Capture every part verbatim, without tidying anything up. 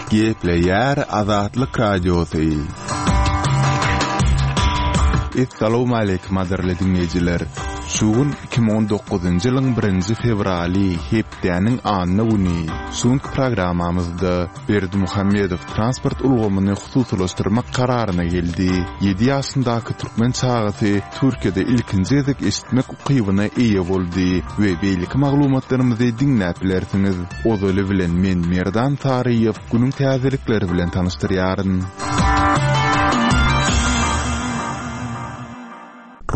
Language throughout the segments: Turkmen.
Gepleýär Azatlyk Radiosy. Essalawmaleýkim gadyrly diňleýjiler! Şu gün iki müň on dokuzynjy ýylyň birinji fewraly, hepdäniň anna güni. Şu günki programmamyzda Berdimuhamedow transport ulgamyny hususylaşdyrmak kararyna geldi. Ýedi ýaşyndaky türkmen çagasy Türkiýede ilkinji gezek eşitmek ukybyna eýe boldy we beýleki maglumatlarymyzy diňläp bilersiňiz. Ozaly bilen men Merdan Saryýew günüň täzelikleri bilen tanyşdyrýaryn.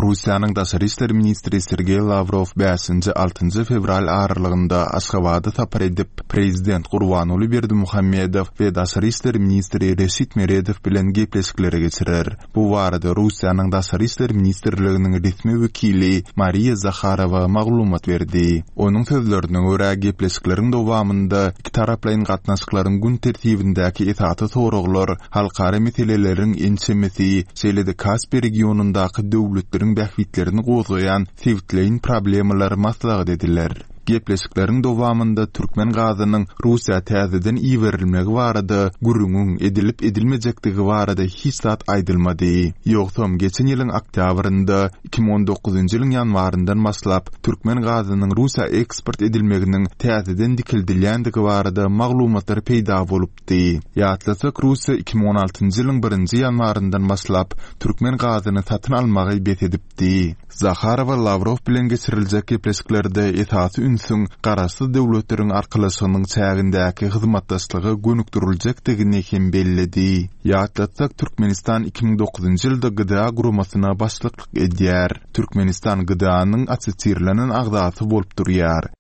Russiýanyň daşary işler ministri Sergeý Lawrow bäşinji, altynjy fewral aralygynda Aşgabada sapar edip, prezident Gurbanguly Berdimuhamedow we daşary işler ministri Reşit Meredow bilen gepleşikleri geçirer. Bu barada Russiýanyň Daşary işler ministrliginiň resmi wekili Mariýa Zaharowa maglumat berdi. Onuň sözlerine görä, gepleşikleriň dowamynda ikitaraplaýyn gatnaşyklaryň gün tertibindäki esasy soraglar, halkara meseleleriň ençemesi, şeýle-de Kaspi regionyndaky döwletleriň bähbitlerini gozgaýan sebitleýin problemalar maslahat ediler. Gepleşikleriň dowamynda türkmen gazynyň Russiýa täzeden iberilmegi barada gürrüňiň edilip-edilmejekdigi barada hiç zat aýdylmady. Ýogsam, geçen ýylyň oktýabrynda, iki müň on dokuzynjy ýylyň ýanwaryndan başlap, türkmen gazynyň Russiýa eksport edilmeginiň täzeden dikeldilýändigi barada maglumatlar peýda bolupdy. Ýatlasak, Russiýa iki müň on altynjy ýylyň birinji ýanwaryndan başlap, türkmen gazyny satyn almagy bes edipdi. Zaharowa Lawrow bilen geçiriljek gepleşiklerde esasy ünsüň Garaşsyz Döwletleriň Arkalaşygynyň çägindäki hyzmatdaşlyga gönükdiriljekdigini hem belledi. Ýatlatsak, Türkmenistan iki müň dokuzynjy ýylda G D A guramasyna başlyklyk edýär. Türkmenistan G D A-nyň assosirlenen agzasy bolup durýar.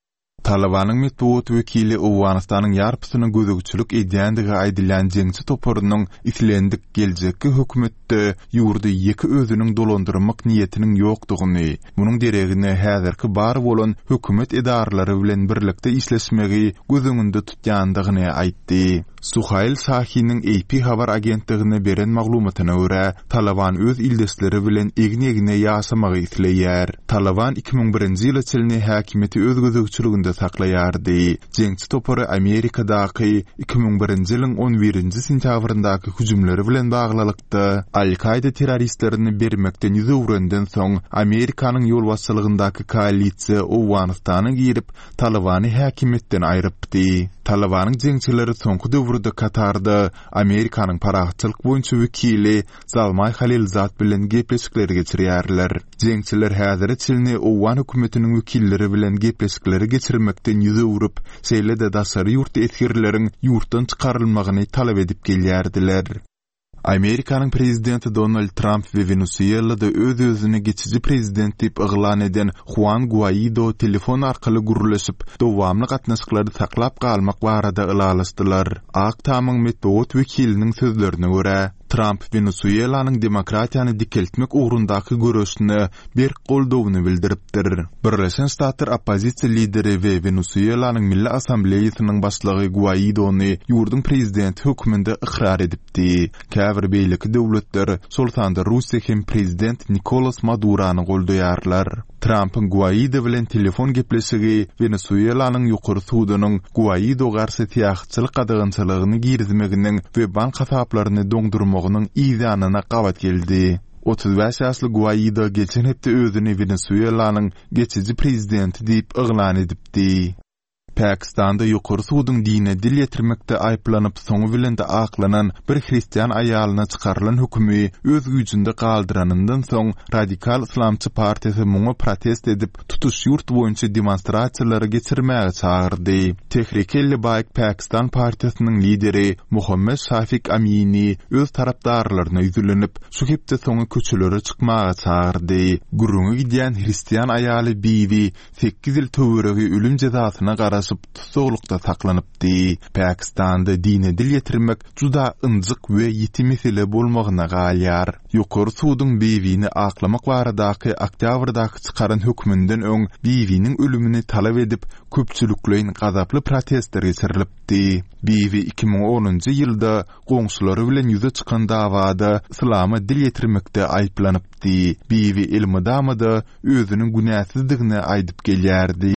Talybanyň metbugat wekili Owganystanyň ýarpysyna gözegçilik edýändigi aýdylýan jeňçi toparynyň islendik geljekki hökümetde ýurdy ýeke özüniň dolandyrmak niýetiniň ýokdugyny, munuň deregine häzirki bar bolan hökümet edaralary bilen birlikde işleşmegi göz öňünde tutýandygyny aýtdy. Suhail Şahiniň A P habar agentligine beren maglumatyna görä, Talyban öz ildeşleri bilen egin-egne ýaşamagy isleýär. Talyban iki müň birinji ýyla çenli häkimiýeti öz gözegçiliginde saklaýardy. Jeňçi topary Amerikadaky iki müň birinji ýylyň on birinji sentýabryndaky hüjümleri bilen baglylykda Al-Kaida terroristlerini bermekden ýüz öwrenden soň Amerikanyň ýolbaşçylygyndaky koalisiýa Owganystana girip, Talybany häkimiýetden aýrypdy. Talybanyň jeňçileri soňky döwürde Katarda Amerikanyň parahatçylyk boýunça wekili Zalmaý Halilzad bilen gepleşikleri geçirýärler. Jeňçiler häzire çenli Owgan hökümetiniň wekilleri bilen gepleşikleri geçirmekden ýüz öwrüp, şeýle-de daşary ýurtly esgerleriň ýurtdan çykarylmagyny talap edip gelýärdiler. Amerikanyň prezidenti Donald Tramp we Wenesuelada öz-özüni geçiji prezident diýip yglan eden Huan Guaido telefon arkaly gürleşip, dowamly gatnaşyklary saklap galmak barada ylalaşdylar. Ak Tamyň metbugat wekiliniň sözlerine görä, Tramp Wenesuelanyň demokratiýany dikeltmek ugrundaky göreşine berk goldawyny bildiripdir. Birleşen Ştatlar oppozisiýa lideri we Wenesuelanyň Milli Assambleýasynyň başlygy Guaidony ýurduň prezidenti hökmünde ykrar edipdi. Käbir beýleki döwletler, şol sanda Russiýa hem prezident Nikolas Madurany goldaýarlar. Trampyň Guaido bilen telefon gepleşigi Wenesuelanyň ýokary sudunyň Guaido garşy syýahatçylyk gadagançylygyny girizmeginiň we bank hasaplaryny doňdurmagynyň yz ýanyna gabat geldi. Otuz bäş ýaşly Guaido geçen hepde özüni Wenesuelanyň geçiji prezidenti diýip yglan edipdi. Pakistanda ýokary suduň dine dil ýetirmekde aýyplanyp, soňy bilen-de aklanan bir hristian aýalyna çykarylan hökümi öz güýjünde galdyranyndan soň radikal yslamçy partiýasy muňa protest edip, tutuş ýurt boýunça demonstrasiýalary geçirmäge çagyrdy. Tehrik-e-Lebaýk Pakistan partiýasynyň lideri Muhammed Şafik Amini öz tarapdarlaryna ýüzlenip, şu hepde soňy köçelere çykmaga çagyrdy. Gürrüňi gidýän hristian aýaly Bibi sekiz ýyl töweregi ölüm jezasyna garaşyp tussaglykda saklanypdy. Pakistanda dine dil ýetirmek juda ynjyk we ýiti mesele bolmagyna galýar. Ýokary suduň Bibini aklamak baradaky oktýabrdaky çykaran hökmünden öň Bibiniň ölümini talap edip köpçülikleýin gazaply protestler geçirilipdi. Bibi iki müň onunjy ýylda goňşulary bilen ýüze çykan dawada yslama dil ýetirmekde aýyplanypdy. Bibi elmydama-da özüniň günäsizdigini aýdyp gelýärdi.